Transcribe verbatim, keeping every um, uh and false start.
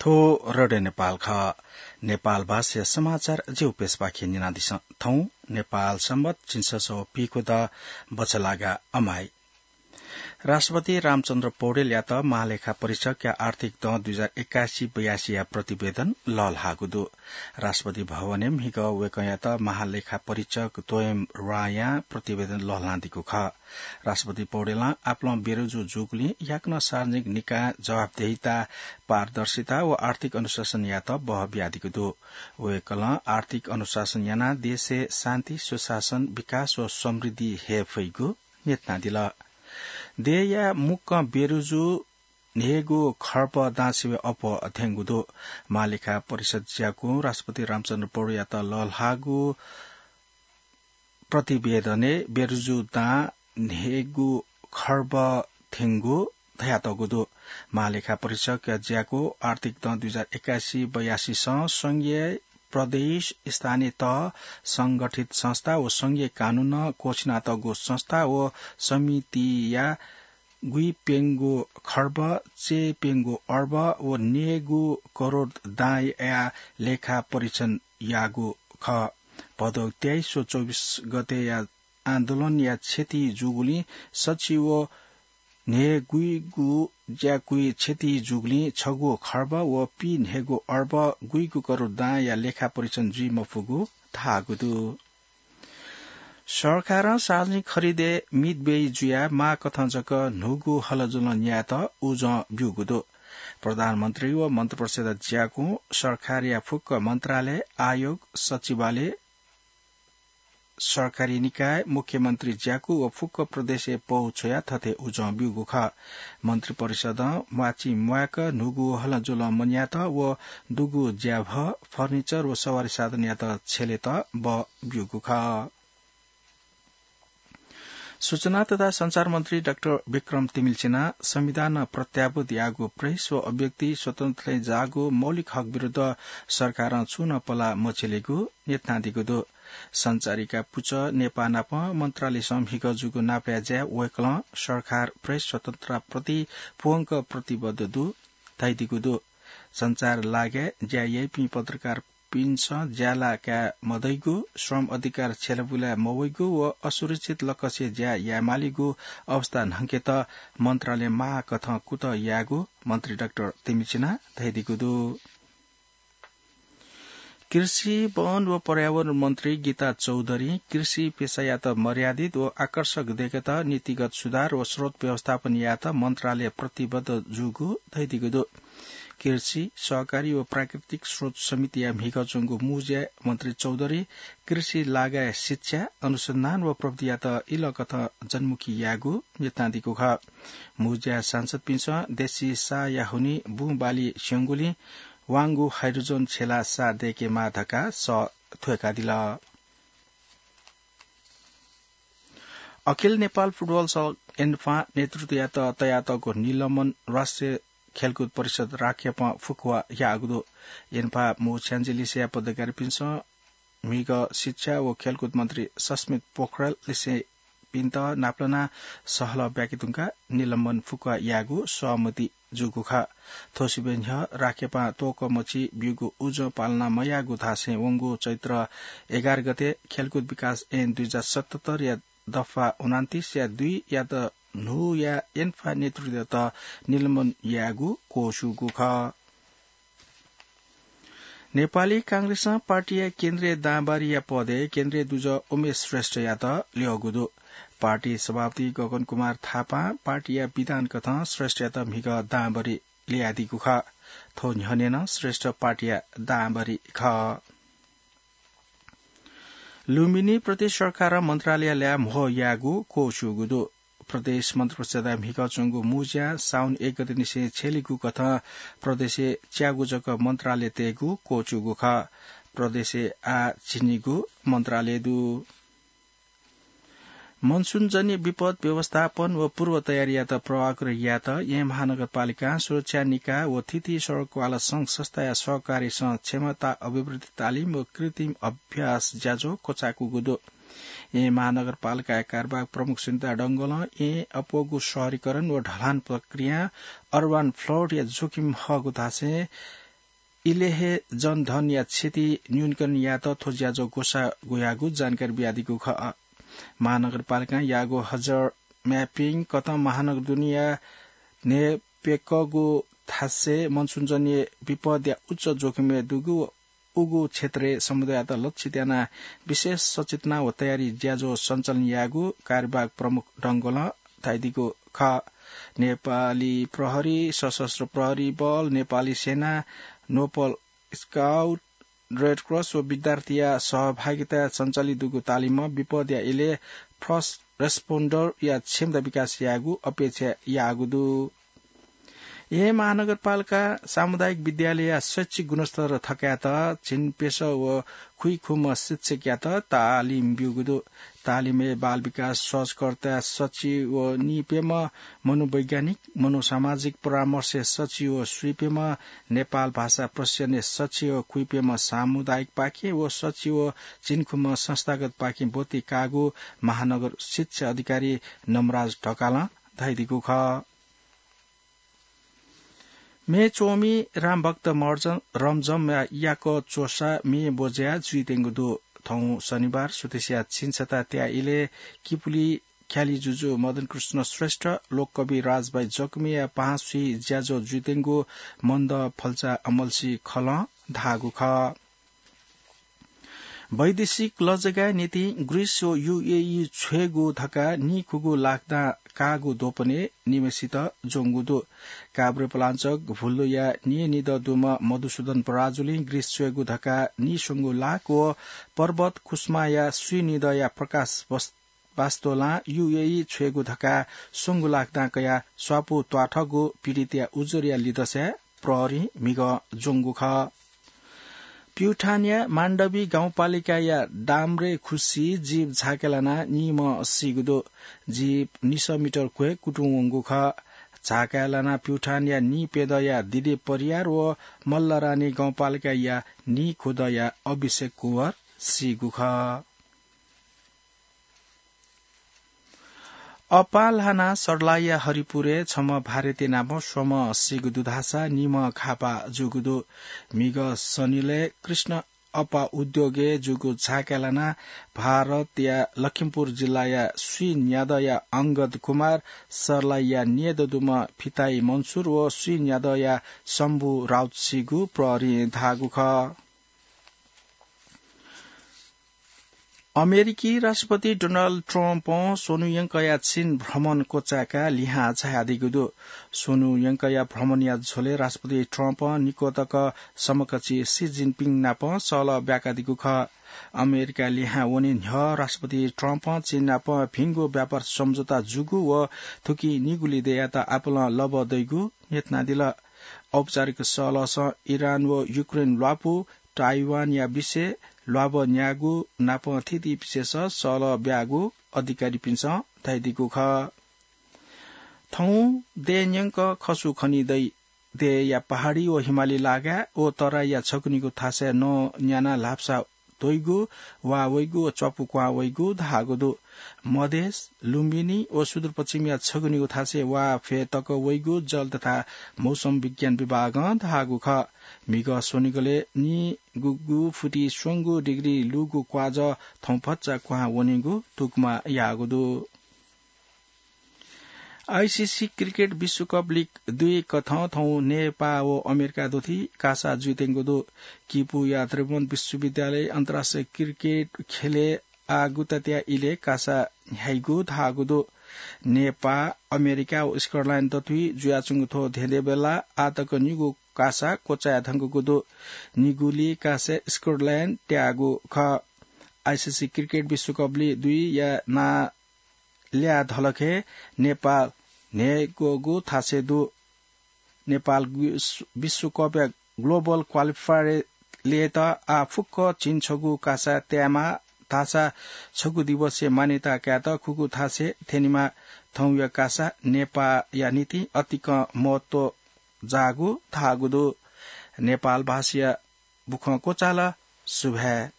थ्व रेडियो नेपाल खः। नेपाल भाषाया समाचार ज्यू प्रेसपाखें न्यनादिसँ। थौं नेपाल संवत् झिंछसः व पीखुदँ बछलागा अमाइ। राष्ट्रपति रामचन्द्र पौडेलयात महालेखा परीक्षकया आर्थिक दँ दुई हजार एकासी बयासीया प्रतिवेदन लःल्हाःगु दु। राष्ट्रपति भवनय् म्हिगः वय्कःयात महालेखा परीक्षक तोयम रायां प्रतिवेदन लःल्हानादीगु खः। राष्ट्रपति पौडेलं आपालं बेरुजु जूगुलिं याकनं सार्वजनिक निकायं जवाफदेहिता, पारदर्शिता व आर्थिक अनुशासन यायेत बह बियादीगु दु। वय्कलं आर्थिक अनुशासन यानाः देशय् शान्ति, सुशासन, विकास व समृद्धि हये फइगु न्ह्यथनादिल। देय्‌या मुक्कं बेरुजु न्हय्‌गू खर्ब दां सिबें अप्वः थ्यंगु दु। महालेखा परिषद ज्याकुं राष्ट्रपति रामचन्द्र पौडेलयात लःल्हाःगु प्रतिवेदनय् बेरुजु दां न्हय्‌गू खर्ब थ्यंगु धयातःगु दु। महालेखा परीक्षकया ज्याकू आर्थिक दँ दुई हजार एकासी बयासीसं संघीय, प्रदेश, स्थानीय तह, संगठित संस्था व संघीय कानूनं क्वःछिनातःगु संस्था व समितिया गुइप्यंगू खर्ब चय्‌प्यंगू अर्ब व न्यय्‌गू करोड दांया लेखा परीक्षण याःगु खः। भदौ तेइस व चौबिस गतेया आन्दोलनया क्षति जूगुलिं सच्छि व न्हय्‌गूगु ज्याकुइ क्षति जूगुलिं छगू खर्ब व पीन्हय्‌गू अर्ब गुइगू करोड दांया लेखा परीक्षण जुइ मफुगु धाःगु दु। सरकारं सार्वजनिक खरिदय् मितव्ययी जुयाः माःकथं जक न्हूगु हलजुलं न्यायेत उजं ब्यूगु दु। प्रधानमन्त्री व मन्त्रिपरिषद ज्याकुं सरकारया फुक्क मन्त्रालय, आयोग, सचिवालय, सरकारी निकाय, मुख्यमन्त्री ज्याकू व फुक्क प्रदेशय् पौ छ्वयाः थथे उजं ब्यूगु खः। मन्त्रिपरिषदं म्वाःचिं म्वाय्क न्हूगु हलजुलं मन्यायेत व दुगु ज्याभः, फर्निचर व सवारी साधनयात छ्यलेत बः ब्यूगु खः। सूचना तथा सञ्चार मन्त्री डाक्टर विक्रम तिमिल्सिनां संविधानं प्रत्याभूत याःगु प्रेस व अभिव्यक्ति स्वतन्त्रताय् जाःगु मौलिक हक विरुद्ध सरकारं छुं नं पलाः मछ्यलीगु न्ह्यथनादीगु दु। सञ्चारिका पुचः नेपाः नाप मन्त्रालयसं म्हिगः जूगु नापलाये ज्याय् वय्कलं सरकार प्रेस स्वतन्त्रताप्रति पूवंक प्रतिबद्ध दु धयादीगु दु। सञ्चार लागाय् ज्या याइपिं पत्रकारपिन्सं ज्याला काये मदइगु, श्रम अधिकार छ्यलाबुलाये मवइगु व असुरक्षित लक्ष्य ज्या यायेमालीगु अवस्था न्हंकेत मन्त्रालयं माःकथं कुतः यायेगु मन्त्री डाक्टर तिमिल्सिनां धयादीगु दु। कृषि, वन व पर्यावरण मन्त्री गीता चौधरीं कृषि पेसायात मर्यादित व आकर्षक दयेकेत नीतिगत सुधार व स्रोत व्यवस्थापन यायेत मन्त्रालय प्रतिबद्ध जूगु धयादीगु दु। कृषि, सहकारी व प्राकृतिक स्रोत समितिया म्हिगः च्वंगु मू ज्याय् मन्त्री चौधरीं कृषि लागाय् शिक्षा, अनुसन्धान व प्रविधियात इलंकथं जनमुखी यायेगु न्ह्यथनादीगु खः। मू ज्याय् सांसदपिन्सं देशी साःया हुनिं बुँ बाली स्यंगुलिं वांगु हाइड्रोजन छ्यलाः साः दय्केमाः धकाः सः थ्वय्कादिल। अखिल नेपाल फुटबल संघ एन्फां नेतृत्वयात तयातःगु निलम्बन राष्ट्रिय खेलकुद परिषद राखेपं फुक्कवा याःगु दु। एन्फा मू छ्याञ्जे लिसेया पदाधिकारीपिन्सं म्हिगः शिक्षा व खेलकुद मन्त्री सस्मित पोखरेल लिसेपिन्त नापलानाः सहलह ब्याके धुंकाः निलम्बन फुक्कवा यायेगु सहमति जूगु खः। थ्व सिबें न्ह्यः राखेपां त्वःकःमछि ब्यूगु उजं पालना मयाःगु धासें वंगु चैत्र एघार गते खेलकुद विकास ऐन दुई हजार सतहत्तरया दफा उनान्तिसया दुईयात न्हूया एन्फा नेतृत्वयात निलम्बन यायेगु क्वःछूगु खः। नेपाली कांग्रेसं पार्टीया केन्द्रीय दांबारीया पदय् केन्द्रीय दुजः उमेश श्रेष्ठयात ल्यःगु दु। पार्टी सभापति गगन कुमार थापां पार्टीया विधान कथं श्रेष्ठयात म्हिगः दांबारी ल्ययादीगु खः। थ्व न्ह्यःने नं श्रेष्ठ पार्टीया दांबारी खः। लुम्बिनी प्रदेश सरकारं मन्त्रालय ल्याः म्हो यायेगु क्वःछूगु दु। प्रदेश मन्त्रिपरिषदया म्हिगः च्वंगु मू ज्या साउन एक गते निसें छ्यलीगु कथं प्रदेशय् च्यागू जक मन्त्रालय तयेगु क्वःछूगु खः। प्रदेशय् आः झिंनिगू मन्त्रालय दु। मनसुनजन्य विपद व्यवस्थापन व पूर्व तयारीयात प्रभावकारी यायेत येँ महानगरपालिकां सुरक्षा निकाय व थीथी सडक क्वाला संघ संस्थाया सहकारीसं क्षमता अभिवृद्धि तालिम व कृत्रिम अभ्यास ज्याझ्वः क्वचाय्कूगु दु। येँ महानगरपालिकाया कार्यवाहक प्रमुख सुनिता डंगोलं येँ अप्वःगु शहरीकरण व ढलान प्रक्रियां urban flood या जोखिम हःगु धासें इले हे जनधनया क्षति न्यूनीकरण यायेत थ्व ज्याझ्वः ग्वसाः ग्वयागु जानकारी बियादीगु खः। महानगरपालिकां याःगु हजर म्यापिङ कथं महानगर दुनेया न्हय्‌प्यकःगु थासय् मनसुनजन्य विपदया उच्च जोखिमय् दुगु उगु क्षेत्रय् समुदाययात लक्षित यानाः विशेष सचेतना व तयारी ज्याझ्वः सञ्चालन यायेगु कार्यवाहक प्रमुख डंगोलं धयादीगु खः। नेपाली प्रहरी, सशस्त्र प्रहरी बल, नेपाली सेना, नोबल स्काउट, रेड क्रस व विद्यार्थीया सहभागिताय् सञ्चालित दुगु तालिमं विपदया इलय् फर्स्ट रेस्पोन्डरया क्षमता विकास यायेगु अपेक्षा याःगु दु। यः महानगरपालिका सामुदायिक विद्यालयया शैक्षिक गुणस्तर थकायेत झिंप्यसः व खुइखुम्ह शिक्षकयात तालिम ब्यूगु दु। तालिमय् बाल विकास सहजकर्ता सचिव व नीप्यम्ह मनोवैज्ञानिक, मनोसामाजिक परामर्श सचिव व स्वीप्यम्ह नेपाल भाषा प्रशिक्षण सचिव, खुइप्यम्ह सामुदायिक पाखें व सचिव व झिंखुम्ह संस्थागत पाखें ब्वति काःगु महानगर शिक्षा अधिकारी नमराज ढकालं धयादीगु खः। म्ये च्वमि रामभक्त मर्जन रमजमया याकः च्वसा म्ये ब्वज्या जुइत्यंगु दु। थौं शनिबार सुथसिया झिंछता त्याः इलय् किपुली ख्याली जुजु मदन कृष्ण श्रेष्ठ, लोककवि राजभाइ जकमिया पाहां स्वीज्याझ्वः जुइत्यंगु मन्द फल्चा अमल्सी खलं धाःगु खः। वैदेशिक लजगाःया निंतिं ग्रीस व यूएई छ्वयेगु धकाः नीखुगू लाख दां काःगु द्वपनय् निम्हसित ज्वंगु दु। काभ्रे पलाञ्चोक भुल्दुया नीनिदँ दुम्ह मधुसूदन पराजुलिं ग्रीस छ्वयेगु धकाः नीस्वंगू लाख व पर्वत कुसुमाया स्वीनिदँया प्रकाश वस-, वास्तोलां यूएई छ्वयेगु धकाः स्वंगू लाख दां कयाः स्वापू त्वाथःगु पीडितया उजुरया लिदँसाय् प्रहरीं म्हिगः ज्वंगु खः। प्युठानया माण्डवी गाउँपालिकाया डाम्रे खुसी जीप झाँक्या लानाः नीम्ह सीगु दु। जीप निसः मिटर क्वय् कुतुं वंगु खः। झाँक्या लानाः प्युठानया नीप्यदँया दिलीप परियार व मल्लरानी गाउँपालिकाया नीखुदँया अभिषेक कुँवर सीगु खः। अपाः ल्हानाः सर्लाहीया हरिपुरय् छम्ह भारतीय नापं स्वम्ह सीगु दु धाःसा निम्ह घाःपाः जूगु दु। म्हिगः शनिलय् कृष्ण अपाः उद्योगय् जूगु झाँक्या लानाः भारतया लखिमपुर जिल्लाया स्वीन्यादँया अंगद कुमार, सर्लाहीया न्येदँ दुम्ह फिताइ मन्सुर व स्वीन्यादँया शम्भु राउत सीगु प्रहरीं धाःगु खः। अमेरिकी राष्ट्रपति डोनाल्ड ट्रम्पं स्वन्हु यंकःया चीन भ्रमण क्वचाय्काः लिहां झायादीगु दु। स्वन्हु यंकःया भ्रमणया झ्वलय् राष्ट्रपति ट्रम्पं निक्वतक समकक्षी सी जिनपिङ नाप सहलह ब्याकादीगु खः। अमेरिकाय् लिहां वने न्ह्यः राष्ट्रपति ट्रम्पं चीन नाप भिंगु व्यापार सम्झौता जूगु व थुकिं निगू लिधय्‌यात आपालं लबः दइगु न्ह्यथनादिल। औपचारिक सहलहसं इरान व युक्रेन ल्वापु, ताइवानया विषय, ल्वाभः न्यायेगु नाप थीथी विषयस सहलह ब्याःगु अधिकारीपिन्सं धयादीगु खः। थौं देय् न्यंक खसु खनी दइ। देय्‌या पहाडी व हिमाली लागाय् व तराईया छगू निगू थासय् नं न्यानाः ल्हापसा त्वइगु, वाः वइगु व च्वापु क्वहां वइगु धाःगु दु। मधेस, लुम्बिनी व सुदूरपश्चिमया छगू निगू थासय् वाः फ्यतुं वइगु जल तथा मौसम विज्ञान विभागं धाःगु खः। म्हिगः स्वनिगलय् निगूगु फुति स्वंगू डिग्री लूगु क्वाजः थौं भचा क्वहां वनीगु तुकमा याःगु दु। आइसिसी क्रिकेट विश्वकप लिग दुई कथं थौं नेपाः व अमेरिका दुथि कासा जुइत्यंगु दु। किपूया त्रिभुवन विश्वविद्यालय अन्तर्राष्ट्रिय क्रिकेट खेलय् आः गुतात्या इलय् कासा न्ह्याइगु धाःगु दु। नेपाः, अमेरिका व स्कटल्याण्ड दथुइ जुयाच्वंगु थ्व धेंधेंबेला आः तक निगू कासा क्वचाये धंकूगु दु। निगूलि कासय् स्कटल्याण्ड त्याःगु खः। आइसिसी क्रिकेट विश्वकप लिग दुईया नां ल्याः धलखय् नेपाः न्हय्‌ग्वःगु थासय् दु। नेपाः विश्व-, विश्वकपया ग्लोबल क्वालिफायरय् ल्ययेत आः फुक्क झिंछगू कासा त्यायेमाः धाःसा छगू दिवसय् मान्यता कायेत खुगू थासय् थ्यनेमाः। थौंया कासा नेपाःया निंतिं अतिकं महत्व जाःगु धाःगु दु। नेपाल भाषाया बुखँ क्वचाल। सुभाय्।